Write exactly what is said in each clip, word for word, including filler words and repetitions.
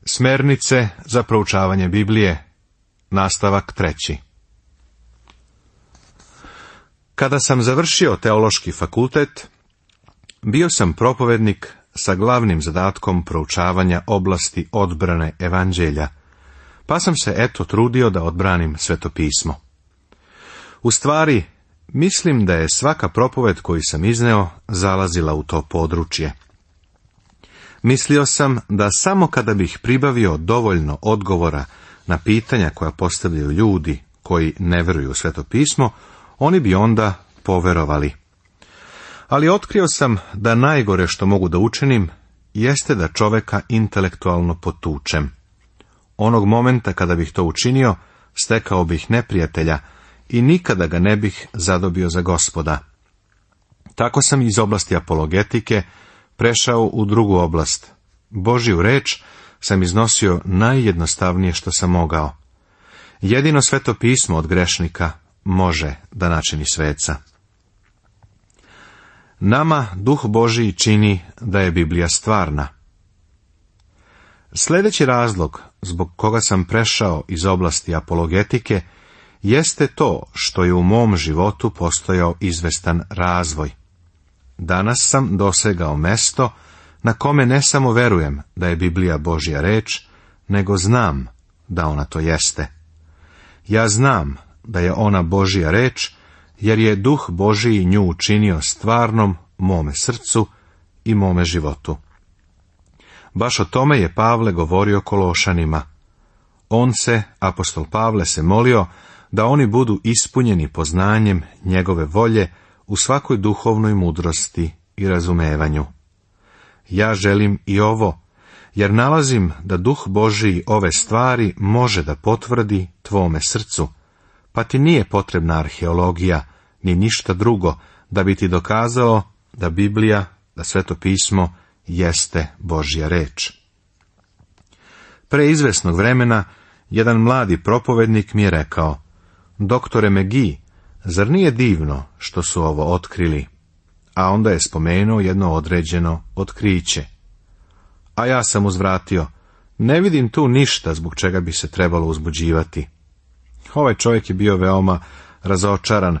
Smernice za proučavanje Biblije, nastavak treći. Kada sam završio teološki fakultet, bio sam propovednik sa glavnim zadatkom proučavanja oblasti odbrane evanđelja, pa sam se eto trudio da odbranim svetopismo. U stvari, mislim da je svaka propoved koju sam izneo zalazila u to područje. Mislio sam da samo kada bih pribavio dovoljno odgovora na pitanja koja postavljaju ljudi koji ne vjeruju u svetopismo, oni bi onda poverovali. Ali otkrio sam da najgore što mogu da učinim jeste da čoveka intelektualno potučem. Onog momenta kada bih to učinio, stekao bih neprijatelja i nikada ga ne bih zadobio za Gospoda. Tako sam iz oblasti apologetike prešao u drugu oblast. Božju reč sam iznosio najjednostavnije što sam mogao. Jedino sveto pismo od grešnika može da načini sveca. Nama Duh Božiji čini da je Biblija stvarna. Sljedeći razlog zbog koga sam prešao iz oblasti apologetike jeste to što je u mom životu postojao izvestan razvoj. Danas sam dosegao mesto na kome ne samo verujem da je Biblija Božja reč, nego znam da ona to jeste. Ja znam da je ona Božja reč, jer je Duh Božiji nju učinio stvarnom mome srcu i mome životu. Baš o tome je Pavle govorio Kološanima. On se, apostol Pavle, se molio da oni budu ispunjeni poznanjem njegove volje u svakoj duhovnoj mudrosti i razumevanju. Ja želim i ovo, jer nalazim da Duh Božiji ove stvari može da potvrdi tvome srcu, pa ti nije potrebna arheologija, ni ništa drugo, da bi ti dokazalo da Biblija, da sveto pismo, jeste Božja reč. Pre izvesnog vremena, jedan mladi propovednik mi je rekao: doktore McGee, zar nije divno što su ovo otkrili? A onda je spomenuo jedno određeno otkriće. A ja sam uzvratio: ne vidim tu ništa zbog čega bi se trebalo uzbuđivati. Ovaj čovjek je bio veoma razočaran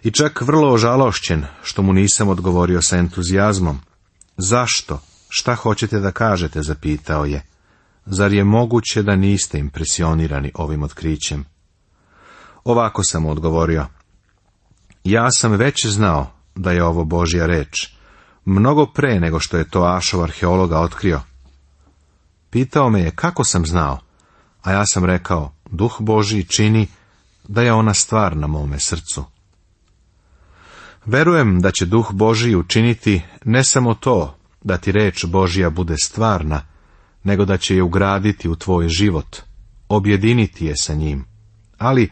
i čak vrlo ožalošćen što mu nisam odgovorio sa entuzijazmom. Zašto? Šta hoćete da kažete? Zapitao je. Zar je moguće da niste impresionirani ovim otkrićem? Ovako sam mu odgovorio: ja sam već znao da je ovo Božja reč, mnogo pre nego što je to Ašov arheologa otkrio. Pitao me je kako sam znao, a ja sam rekao: Duh Božji čini da je ona stvar na mome srcu. Verujem da će Duh Božji učiniti ne samo to da ti reč Božja bude stvarna, nego da će je ugraditi u tvoj život, objediniti je sa njim, ali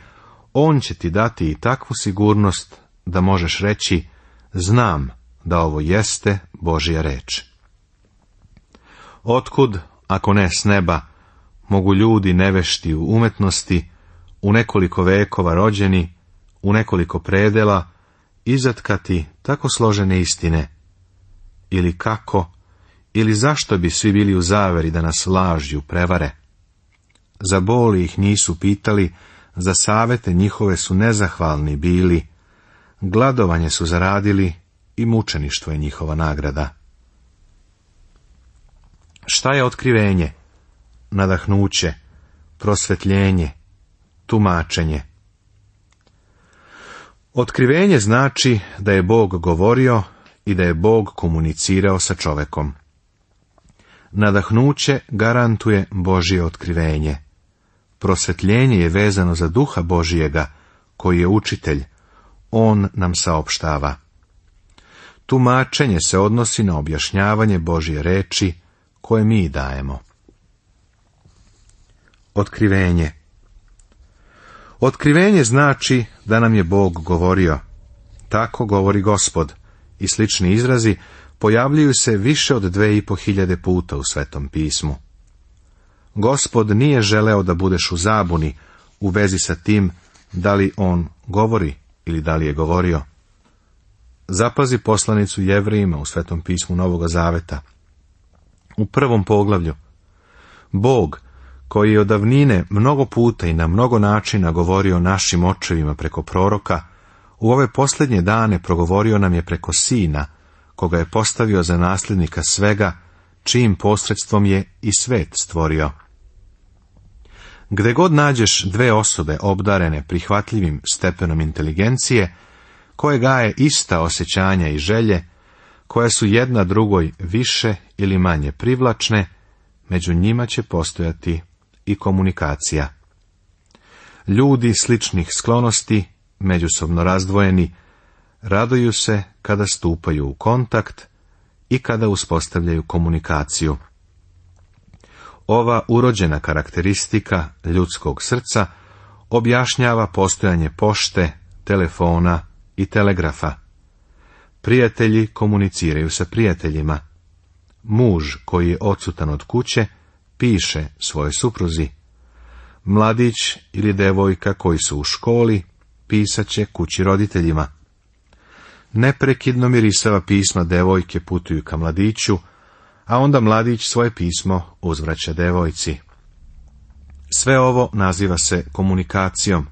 on će ti dati i takvu sigurnost da možeš reći: znam da ovo jeste Božja reč. Otkud, ako ne s neba, mogu ljudi nevešti u umetnosti, u nekoliko vekova rođeni, u nekoliko predela, izatkati tako složene istine? Ili kako, ili zašto bi svi bili u zaveri da nas lažju prevare? Za boli ih nisu pitali, za savete njihove su nezahvalni bili, gladovanje su zaradili i mučeništvo je njihova nagrada. Šta je otkrivenje, nadahnuće, prosvetljenje, tumačenje? Otkrivenje znači da je Bog govorio i da je Bog komunicirao sa čovekom. Nadahnuće garantuje Božje otkrivenje. Prosvetljenje je vezano za Duha Božijega, koji je učitelj. On nam saopštava. Tumačenje se odnosi na objašnjavanje Božje reči koje mi dajemo. Otkrivenje. Otkrivenje znači da nam je Bog govorio. Tako govori Gospod, i slični izrazi pojavljuju se više od dve i po hiljade puta u Svetom pismu. Gospod nije želeo da budeš u zabuni u vezi sa tim da li on govori ili da li je govorio. Zapazi poslanicu Jevrejima u Svetom pismu Novoga Zaveta. U prvom poglavlju: Bog, koji je od davnine mnogo puta i na mnogo načina govorio našim očevima preko proroka, u ove posljednje dane progovorio nam je preko Sina, koga je postavio za nasljednika svega, čijim posredstvom je i svet stvorio. Gde god nađeš dve osobe obdarene prihvatljivim stepenom inteligencije, koje gaje ista osjećanja i želje, koje su jedna drugoj više ili manje privlačne, među njima će postojati i komunikacija. Ljudi sličnih sklonosti, međusobno razdvojeni, raduju se kada stupaju u kontakt i kada uspostavljaju komunikaciju. Ova urođena karakteristika ljudskog srca objašnjava postojanje pošte, telefona i telegrafa. Prijatelji komuniciraju sa prijateljima. Muž koji je odsutan od kuće piše svojoj supruzi. Mladić ili devojka koji su u školi pisat će kući roditeljima. Neprekidno mirisava pisma devojke putuju ka mladiću, a onda mladić svoje pismo uzvraća devojci. Sve ovo naziva se komunikacijom.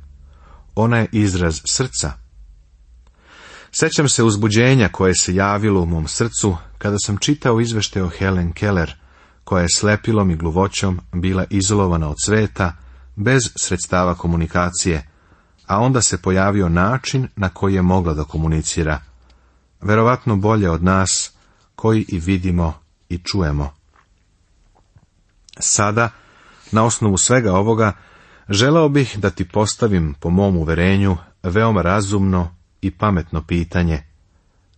Ona je izraz srca. Sećam se uzbuđenja koje se javilo u mom srcu kada sam čitao izveštaj o Helen Keller, koja je slepilom i gluvoćom bila izolovana od sveta, bez sredstava komunikacije, a onda se pojavio način na koji je mogla da komunicira. Verovatno bolje od nas, koji i vidimo i čujemo. Sada, na osnovu svega ovoga, želeo bih da ti postavim, po mom uverenju, veoma razumno i pametno pitanje.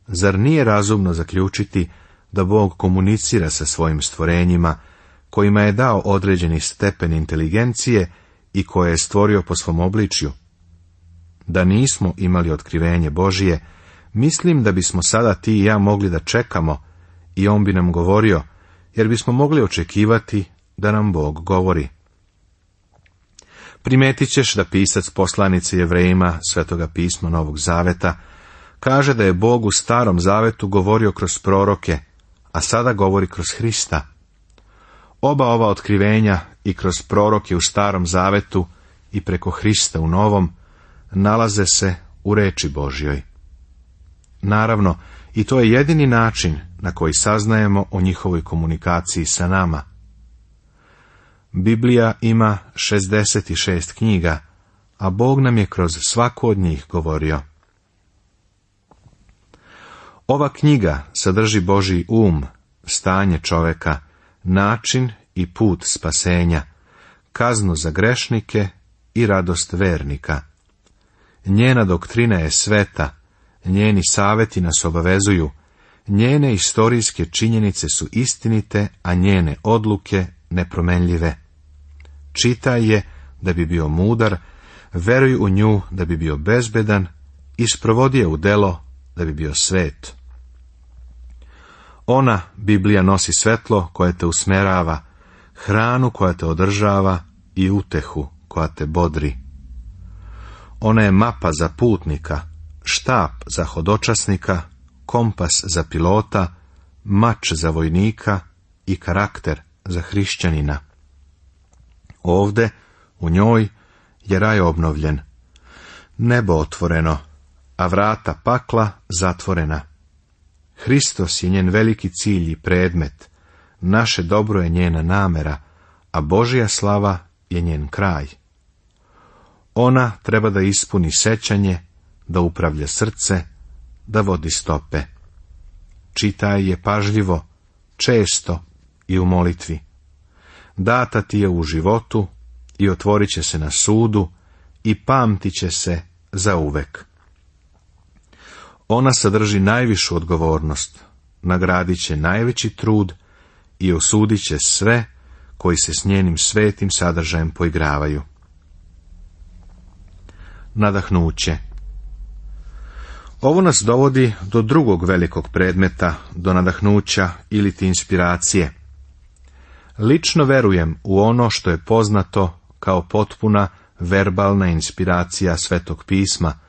Zar nije razumno zaključiti da Bog komunicira sa svojim stvorenjima, kojima je dao određeni stepen inteligencije i koje je stvorio po svom obličju? Da nismo imali otkrivenje Božije, mislim da bismo sada ti i ja mogli da čekamo i on bi nam govorio, jer bismo mogli očekivati da nam Bog govori. Primetit ćeš da pisac poslanice Jevrejima Svetoga pisma Novog Zaveta kaže da je Bog u Starom Zavetu govorio kroz proroke, a sada govori kroz Hrista. Oba ova otkrivenja, i kroz proroke u Starom Zavetu i preko Hrista u Novom, nalaze se u reči Božjoj. Naravno, i to je jedini način na koji saznajemo o njihovoj komunikaciji sa nama. Biblija ima šezdeset šest knjiga, a Bog nam je kroz svaku od njih govorio. Ova knjiga sadrži Božji um, stanje čoveka, način i put spasenja, kaznu za grešnike i radost vernika. Njena doktrina je sveta, njeni saveti nas obavezuju, njene istorijske činjenice su istinite, a njene odluke nepromenljive. Čitaj je da bi bio mudar, veruj u nju da bi bio bezbedan i sprovodi je u delo da bi bio svet. Ona, Biblija, nosi svetlo koje te usmerava, hranu koja te održava i utehu koja te bodri. Ona je mapa za putnika, štap za hodočasnika, kompas za pilota, mač za vojnika i karakter za hrišćanina. Ovde, u njoj, je raj obnovljen, nebo otvoreno, a vrata pakla zatvorena. Hristos je njen veliki cilj i predmet, naše dobro je njena namera, a Božja slava je njen kraj. Ona treba da ispuni sećanje, da upravlja srce, da vodi stope. Čitaj je pažljivo, često i u molitvi. Data ti je u životu i otvorit će se na sudu i pamtit će se zauvek. Ona sadrži najvišu odgovornost, nagradit će najveći trud i osudit će sve koji se s njenim svetim sadržajem poigravaju. Nadahnuće. Ovo nas dovodi do drugog velikog predmeta, do nadahnuća ili ti inspiracije. Lično verujem u ono što je poznato kao potpuna verbalna inspiracija Svetog pisma,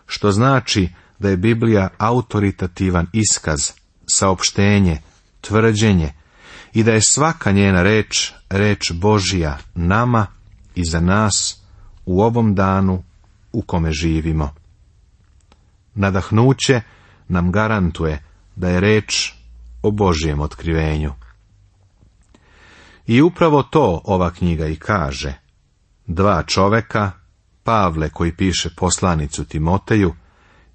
što znači da je Biblija autoritativan iskaz, saopštenje, tvrđenje i da je svaka njena reč, reč Božija nama i za nas u ovom danu u kome živimo. Nadahnuće nam garantuje da je reč o Božijem otkrivenju. I upravo to ova knjiga i kaže. Dva čoveka, Pavle koji piše poslanicu Timoteju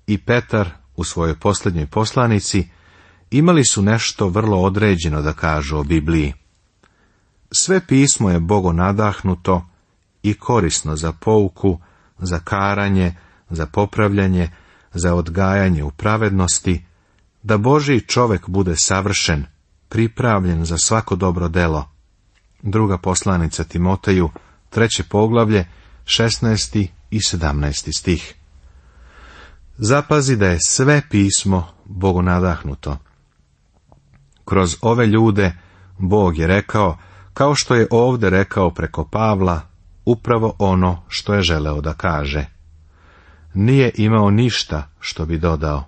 i Petar u svojoj posljednjoj poslanici, imali su nešto vrlo određeno da kažu o Bibliji. Sve pismo je Bogo nadahnuto i korisno za pouku, za karanje, za popravljanje, za odgajanje u pravednosti, da Božji čovek bude savršen, pripravljen za svako dobro delo. Druga poslanica Timoteju, treće poglavlje, šesnaesti i sedamnaesti stih. Zapazi da je sve pismo Bogu nadahnuto. Kroz ove ljude Bog je rekao, kao što je ovdje rekao preko Pavla, upravo ono što je želeo da kaže. Nije imao ništa što bi dodao.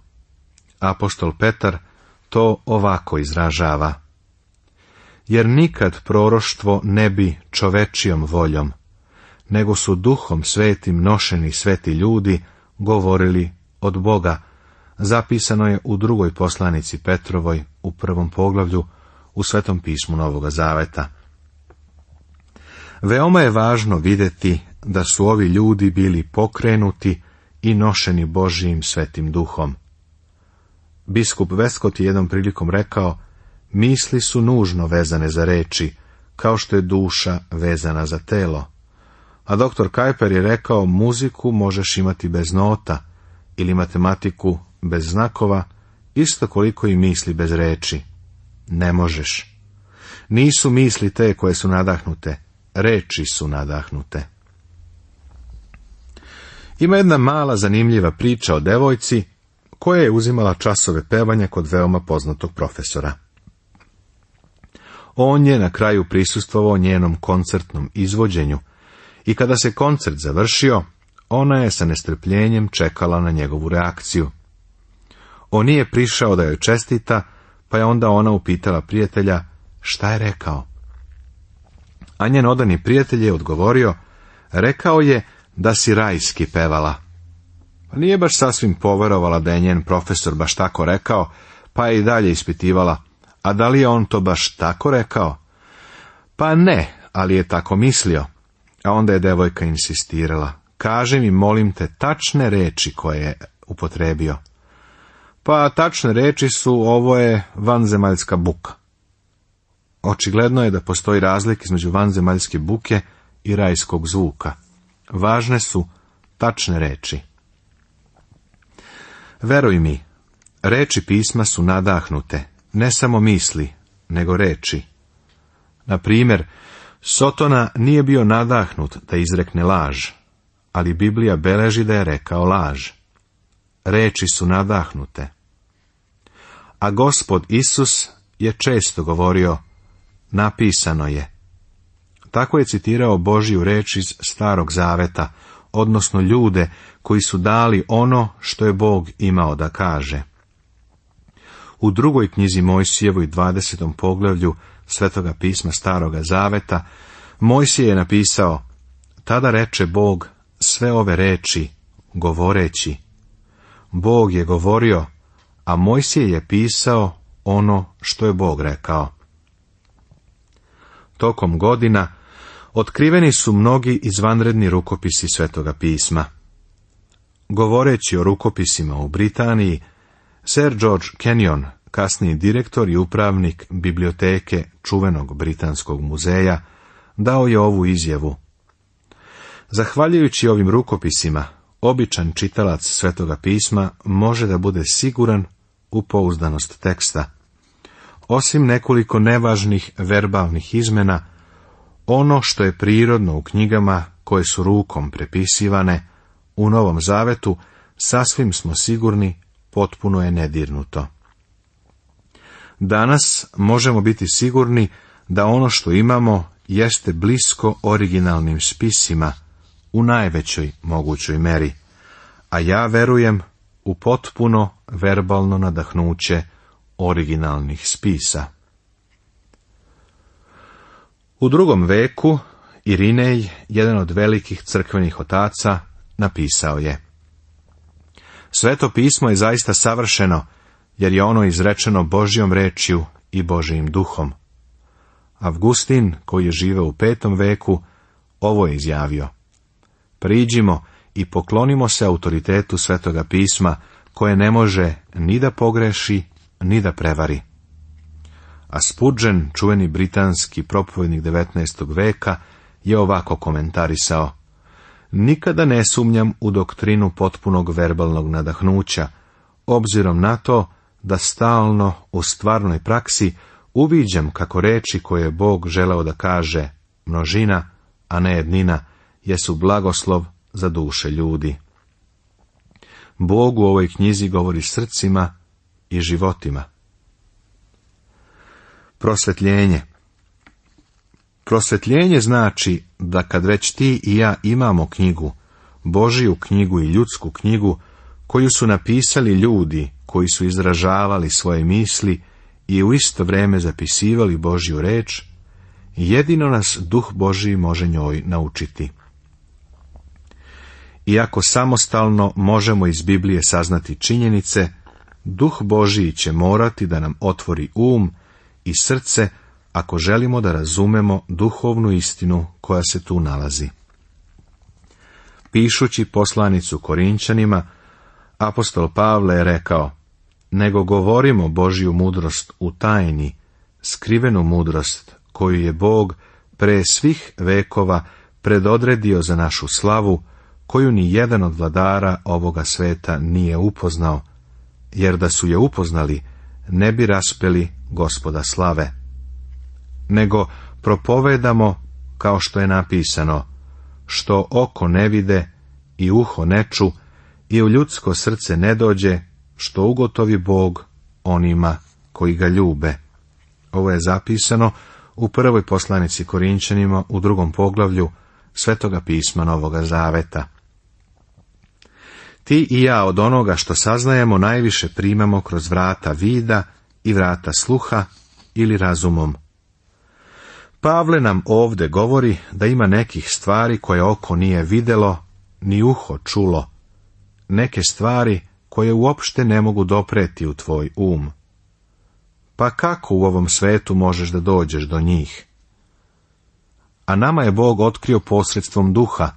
Apostol Petar to ovako izražava. Jer nikad proroštvo ne bi čovečijom voljom, nego su duhom svetim nošeni sveti ljudi govorili od Boga. Zapisano je u drugoj poslanici Petrovoj u prvom poglavlju u Svetom pismu Novoga Zaveta. Veoma je važno vidjeti da su ovi ljudi bili pokrenuti i nošeni Božijim svetim duhom. Biskup Westcott je jednom prilikom rekao, misli su nužno vezane za reči, kao što je duša vezana za telo. A doktor Kuyper je rekao, muziku možeš imati bez nota, ili matematiku bez znakova, isto koliko i misli bez reči. Ne možeš. Nisu misli te koje su nadahnute, reči su nadahnute. Ima jedna mala zanimljiva priča o devojci koja je uzimala časove pevanja kod veoma poznatog profesora. On je na kraju prisustvovao njenom koncertnom izvođenju i kada se koncert završio, ona je sa nestrpljenjem čekala na njegovu reakciju. On nije prišao da joj čestita, pa je onda ona upitala prijatelja šta je rekao. A njen odani prijatelj je odgovorio, rekao je da si rajski pevala. Pa nije baš sasvim poverovala da je njen profesor baš tako rekao, pa je i dalje ispitivala, a da li je on to baš tako rekao? Pa ne, ali je tako mislio. A onda je devojka insistirala, kaži mi, molim te, tačne reči koje je upotrebio. Pa tačne reči su, ovo je vanzemaljska buka. Očigledno je da postoji razlika između vanzemaljske buke i rajskog zvuka. Važne su tačne reči. Veruj mi, reči pisma su nadahnute, ne samo misli, nego reči. Na primjer, Sotona nije bio nadahnut da izrekne laž, ali Biblija beleži da je rekao laž. Reči su nadahnute. A Gospod Isus je često govorio, napisano je. Tako je citirao Božju reč iz Starog Zaveta, odnosno ljude koji su dali ono što je Bog imao da kaže. U drugoj knjizi Mojsijevoj dvadesetom poglavlju Svetoga pisma Staroga Zaveta, Mojsije je napisao, tada reče Bog sve ove reči, govoreći. Bog je govorio, a Mojsije je pisao ono što je Bog rekao. Tokom godina otkriveni su mnogi izvanredni rukopisi Svetoga pisma. Govoreći o rukopisima u Britaniji, Sir George Kenyon, kasniji direktor i upravnik biblioteke čuvenog Britanskog muzeja, dao je ovu izjavu. Zahvaljujući ovim rukopisima, običan čitalac Svetoga pisma može da bude siguran u pouzdanost teksta. Osim nekoliko nevažnih verbalnih izmena, ono što je prirodno u knjigama koje su rukom prepisivane, u Novom Zavetu, sasvim smo sigurni, potpuno je nedirnuto. Danas možemo biti sigurni da ono što imamo jeste blisko originalnim spisima u najvećoj mogućoj meri, a ja verujem u potpuno verbalno nadahnuće originalnih spisa. U drugom veku Irinej, jedan od velikih crkvenih otaca, napisao je: Sveto pismo je zaista savršeno, jer je ono izrečeno Božjom rečju i Božjim duhom. Avgustin, koji je živeo u petom veku, ovo je izjavio: Priđimo i poklonimo se autoritetu Svetoga pisma, koje ne može ni da pogreši, ni da prevari. A Spurgeon, čuveni britanski propovednik devetnaestog veka, je ovako komentarisao: Nikada ne sumnjam u doktrinu potpunog verbalnog nadahnuća, obzirom na to da stalno u stvarnoj praksi uviđam kako reči koje je Bog želeo da kaže, množina, a ne jednina, jesu blagoslov za duše ljudi. Bog u ovoj knjizi govori srcima i životima. Prosvetljenje. Prosvetljenje znači da kad već ti i ja imamo knjigu, Božiju knjigu i ljudsku knjigu, koju su napisali ljudi koji su izražavali svoje misli i u isto vrijeme zapisivali Božju reč, jedino nas Duh Božji može njoj naučiti. Iako samostalno možemo iz Biblije saznati činjenice, Duh Božji će morati da nam otvori um i srce ako želimo da razumemo duhovnu istinu koja se tu nalazi. Pišući poslanicu Korinčanima, apostol Pavle je rekao: Nego govorimo Božju mudrost u tajni, skrivenu mudrost koju je Bog pre svih vekova predodredio za našu slavu, koju ni jedan od vladara ovoga sveta nije upoznao, jer da su je upoznali, ne bi raspeli Gospoda slave. Nego propovedamo, kao što je napisano, što oko ne vide i uho ne ču i u ljudsko srce ne dođe, što ugotovi Bog onima koji ga ljube. Ovo je zapisano u prvoj poslanici Korinčanima u drugom poglavlju Svetoga pisma Novoga Zaveta. Ti i ja od onoga što saznajemo najviše primamo kroz vrata vida i vrata sluha ili razumom. Pavle nam ovdje govori da ima nekih stvari koje oko nije vidjelo, ni uho čulo, neke stvari koje uopšte ne mogu dopreti u tvoj um. Pa kako u ovom svetu možeš da dođeš do njih? A nama je Bog otkrio posredstvom duha,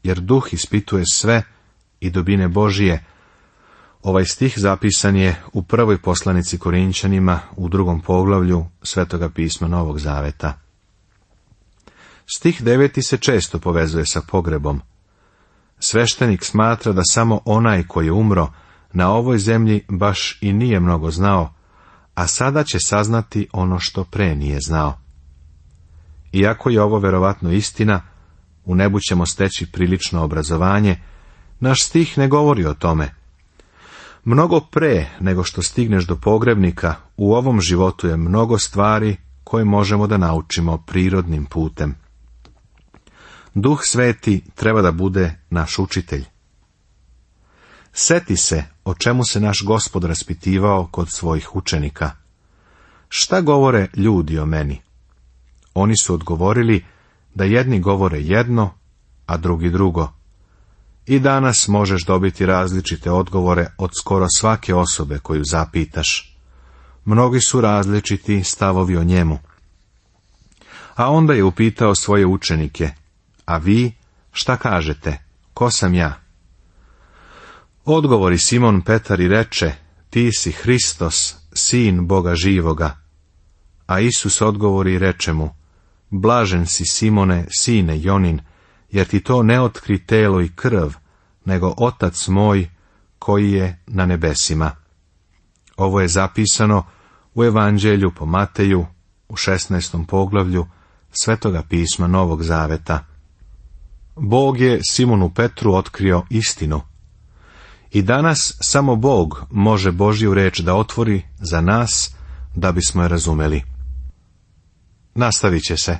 jer duh ispituje sve i dubine Božije. Ovaj stih zapisan je u prvoj poslanici Korinčanima u drugom poglavlju Svetoga pisma Novog Zaveta. Stih deveti se često povezuje sa pogrebom. Sveštenik smatra da samo onaj koji je umro na ovoj zemlji baš i nije mnogo znao, a sada će saznati ono što pre nije znao. Iako je ovo verovatno istina, u nebu ćemo steći prilično obrazovanje, naš stih ne govori o tome. Mnogo pre nego što stigneš do pogrebnika, u ovom životu je mnogo stvari koje možemo da naučimo prirodnim putem. Duh Sveti treba da bude naš učitelj. Seti se o čemu se naš Gospod raspitivao kod svojih učenika. Šta govore ljudi o meni? Oni su odgovorili da jedni govore jedno, a drugi drugo. I danas možeš dobiti različite odgovore od skoro svake osobe koju zapitaš. Mnogi su različiti stavovi o njemu. A onda je upitao svoje učenike: A vi, šta kažete? Ko sam ja? Odgovori Simon Petar i reče: Ti si Hristos, sin Boga živoga. A Isus odgovori i reče mu: Blažen si, Simone, sine Jonin, jer ti to ne otkri telo i krv, nego Otac moj koji je na nebesima. Ovo je zapisano u Evanđelju po Mateju u šesnaestom poglavlju Svetoga pisma Novog Zaveta. Bog je Simonu Petru otkrio istinu. I danas samo Bog može Božju reč da otvori za nas, da bismo je razumeli. Nastavit će se.